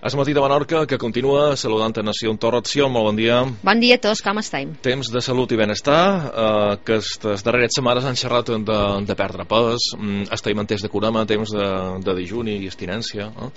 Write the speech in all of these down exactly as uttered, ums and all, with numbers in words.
Es matí de Menorca, que continua saludant a Nació en Torratció. Molt bon dia. Bon dia a tots, com estem? Temps de salut i benestar, eh, que aquestes darreres setmanes han xerrat de, de perdre pes, estem en temps de curama, temps de, de dijuni i abstinència. Eh?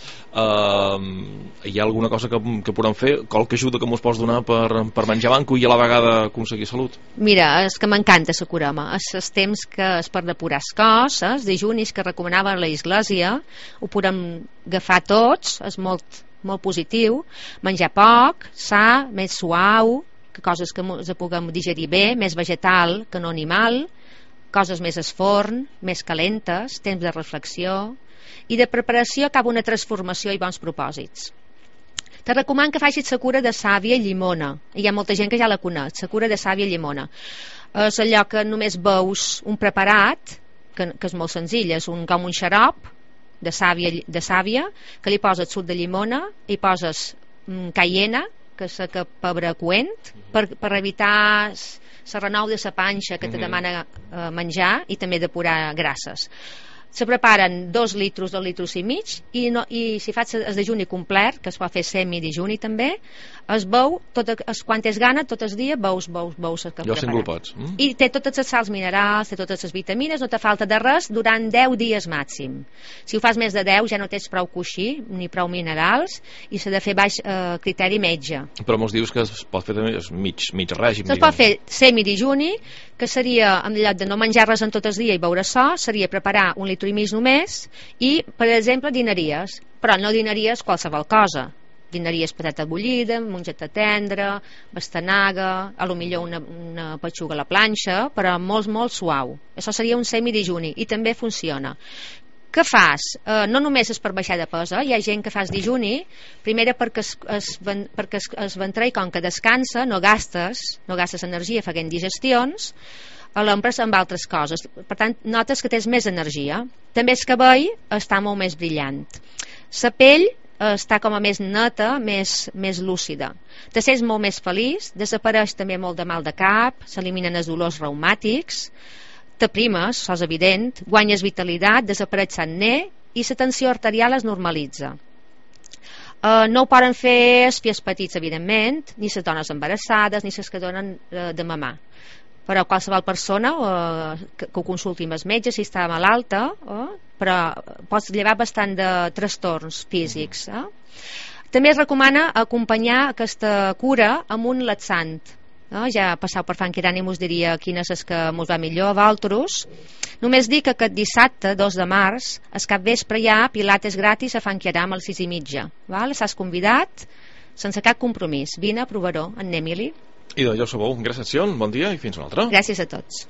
Eh, hi ha alguna cosa que, que podem fer, qualque ajuda que mos pots donar per, per menjar banco i a la vegada aconseguir salut? Mira, és que m'encanta la curama. És els temps que és per depurar el cos, els dijunis que recomanava la Església, ho podem agafar tots, és molt molt positiu, menjar poc, sa, més suau, que coses que ens puguem digerir bé, més vegetal que no animal, coses més al forn, més calentes, temps de reflexió i de preparació cap a una transformació i bons propòsits. Te recomano que facis la cura de sàvia i llimona. Hi ha molta gent que ja la coneix, la cura de sàvia i llimona. És allò que només veus un preparat, que, que és molt senzill, és un, com un xarop de sàvia, de sàvia, que li poses suc de llimona, hi poses mm, cayena, que és que pebre coent, per, per evitar la renou de la panxa que te demana eh, menjar i també depurar grasses. Se preparen dos litros, dos litros i mig, i, no, i si fas el dejuni complet, que es pot fer semi-dejuni també, es beu, tot, es, quan tens gana, tot el dia, beus, beus, beus el que Jo preparat. pots. Mm? I té totes les sals minerals, té totes les vitamines, no te falta de res durant deu dies màxim. Si ho fas més de deu ja no tens prou coixí, ni prou minerals, i s'ha de fer baix eh, criteri metge. Però mos dius que es pot fer també mig, mig règim. Es pot fer semi-dejuni, que seria, en lloc de no menjar res en tot el dia i beure so, seria preparar un litro i mig només, i, per exemple, dinaries, però no dinaries qualsevol cosa. Dinaries patata bullida, mongeta tendra, pastanaga, a lo millor una, una petxuga a la planxa, però molt, molt suau. Això seria un semi-dejuni, i també funciona. Què fas? Eh, no només és per baixar de pes, eh? Hi ha gent que fa dejuni, primera perquè es, es, perquè es, es ventrell, com que descansa, no gastes, no gastes energia fent digestions, l'empres amb altres coses. Per tant, notes que tens més energia. També el cabell està molt més brillant. La pell està com a més neta, més, més lúcida. Te sents molt més feliç, desapareix també molt de mal de cap, s'eliminen els dolors reumàtics, t'aprimes, això és evident, guanyes vitalitat, desapareix l'acné i la tensió arterial es normalitza. Uh, no ho poden fer els fills petits, evidentment, ni les dones embarassades, ni les que donen uh, de mamar. Però qualsevol persona uh, que, que ho consulti amb el metge si està malalta, uh, però pots llevar bastant de trastorns físics. Uh. També es recomana acompanyar aquesta cura amb un laxant. No? Ja passau per Fan Quirani mos diria quines és que mos va millor a vosaltres. Només dic que aquest dissabte, dos de març, es cap vespre hi ha pilates gratis a Fan Quirani a les sis i mitja. Val? S'has convidat sense cap compromís. Vine a provar-ho, en Emili. I de jo sabeu, gràcies, bon dia i fins una altra. Gràcies a tots.